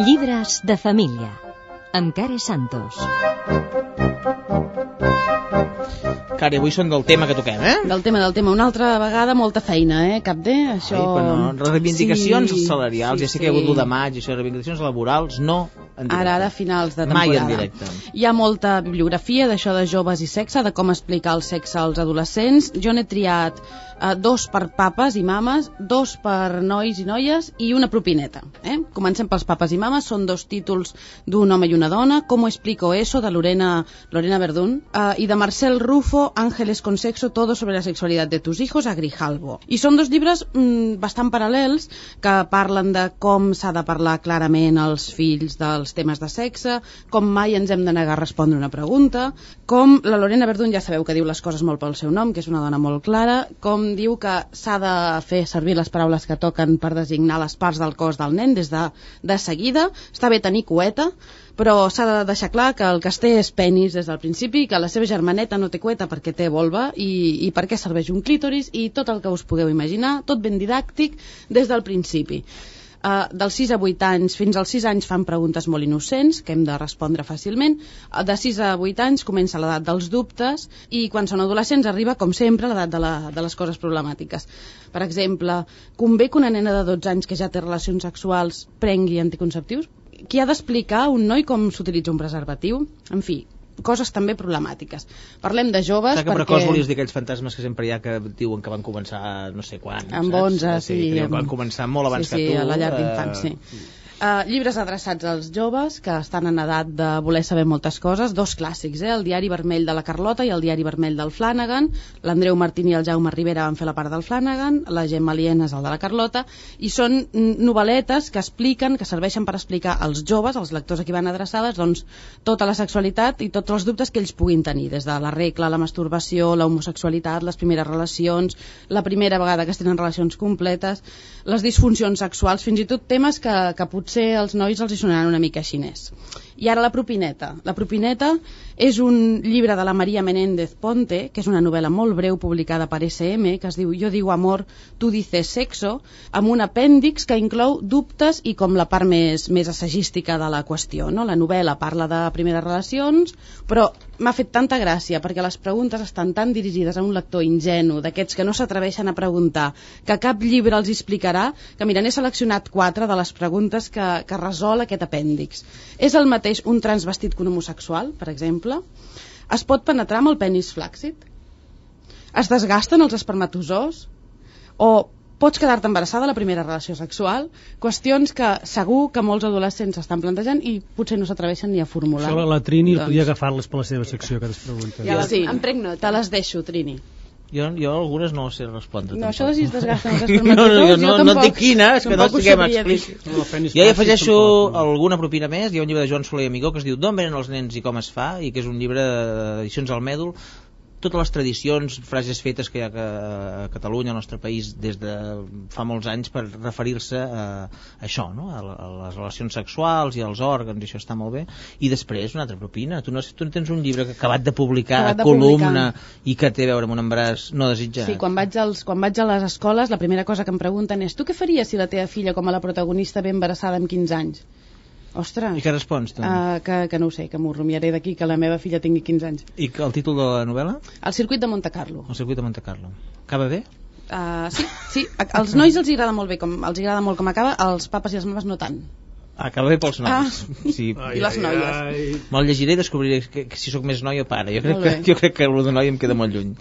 Llibres de família, amb Care Santos. Care, avui són del tema que toquem, Del tema. Una altra vegada molta feina, Cap D? Això... Reivindicacions salarials, ja sé que hi ha hagut l'1 de maig, això, reivindicacions laborals, no en directe. Ara, a finals de temporada. Mai en directe. Hi ha molta bibliografia d'això de joves i sexe, de com explicar el sexe als adolescents. Jo n'he triat 2 per papes i mames, 2 per nois i noies i una propineta. Comencem pels papes i mames, són 2 títols d'un home i una dona, Com ho explico eso, de Lorena Verdún, i de Marcel Rufo, Ángeles con sexo, todo sobre la sexualidad de tus hijos, a Grijalbo. I són 2 llibres bastant paral·lels que parlen de com s'ha de parlar clarament als fills dels temes de sexe, com mai ens hem de negar a respondre una pregunta, com la Lorena Verdún ja sabeu que diu les coses molt pel seu nom, que és una dona molt clara, com diu que s'ha de fer servir les paraules que toquen per designar les parts del cos del nen des de seguida. Està bé tenir cueta, però s'ha de deixar clar que el que es té és penis des del principi, que la seva germaneta no té cueta perquè té vulva i per què serveix un clítoris i tot el que us pugueu imaginar, tot ben didàctic des del principi. Dels 6 a 8 anys fins als 6 anys fan preguntes molt innocents que hem de respondre fàcilment. De 6 a 8 anys comença l'edat dels dubtes i quan són adolescents arriba, com sempre, l'edat de les coses problemàtiques. Per exemple, convé que una nena de 12 anys que ja té relacions sexuals prengui anticonceptius? Qui ha d'explicar a un noi com s'utilitza un preservatiu? En fi, coses també problemàtiques. Parlem de joves perquè... Precoç volies dir aquells fantasmes que sempre hi ha que diuen que van començar no sé quan, amb 11, sí. Van començar molt abans que tu. Sí, a la llar d'infants, sí. Llibres adreçats als joves que estan en edat de voler saber moltes coses, 2 clàssics, el Diari vermell de la Carlota i el Diari vermell del Flanagan. L'Andreu Martín i el Jaume Rivera van fer la part del Flanagan, la Gemma Lienas el de la Carlota, i són novel·letes que expliquen, que serveixen per explicar als joves, als lectors a qui van adreçades, doncs, tota la sexualitat i tots els dubtes que ells puguin tenir, des de la regla, la masturbació, la homosexualitat, les primeres relacions, la primera vegada que es tenen relacions completes, les disfuncions sexuals, fins i tot temes que potser als nois els hi sonaran una mica xinès. I ara la propineta. La propineta és un llibre de la Maria Menéndez Ponte, que és una novel·la molt breu publicada per SM, que es diu Yo digo amor, tú dices sexo, amb un apèndix que inclou dubtes i com la part més assagística de la qüestió. No? La novel·la parla de primeres relacions, però m'ha fet tanta gràcia perquè les preguntes estan tan dirigides a un lector ingenu, d'aquests que no s'atreveixen a preguntar, que cap llibre els explicarà, que mira, n'he seleccionat 4 de les preguntes que resol aquest apèndix. És el mateix un transvestit que un homosexual, per exemple? Es pot penetrar amb el penis flàccid? Es desgasten els espermatozoos? O pots quedar-te embarassada a la primera relació sexual? Qüestions que segur que molts adolescents estan plantejant i potser no s'atreveixen ni a formular. Això la Trini podia agafar-les per la seva secció, aquestes preguntes. Ja sí, em prenc nota. Te les deixo, Trini. Jo algunes no sé respondre. No, això de si es desgasten els espermatozoos, no et dic quina, és que no estiguem explícits. Jo hi afegeixo alguna propina més. Hi ha un llibre de Joan Soler i Amigó que es diu D'on venen els nens i com es fa, i que és un llibre d'edicions al Mèdol. Totes les tradicions, frases fetes que hi ha a Catalunya, al nostre país, des de fa molts anys per referir-se a això, no? A les relacions sexuals i als òrgans, i això està molt bé. I després una altra propina. Tu no tens un llibre acabat de publicar a columna i que té a veure amb un embaràs no desitjat? Sí, quan vaig a les escoles la primera cosa que em pregunten és: tu què faries si la teva filla, com a la protagonista, ve embarassada amb 15 anys? Ostres. I què respons, tu? Que no ho sé, que m'ho rumiaré d'aquí que la meva filla tingui 15 anys. I el títol de la novel·la? El circuit de Monte Carlo. El circuit de Monte Carlo. Acaba bé? Sí. Als nois els agrada molt bé, els agrada molt com acaba, als papes i als mames no tant. Acaba bé pels nois. Sí. I les noies. Me'l llegiré i descobriré si sóc més noi o pare. Jo crec que el de noi em queda molt lluny.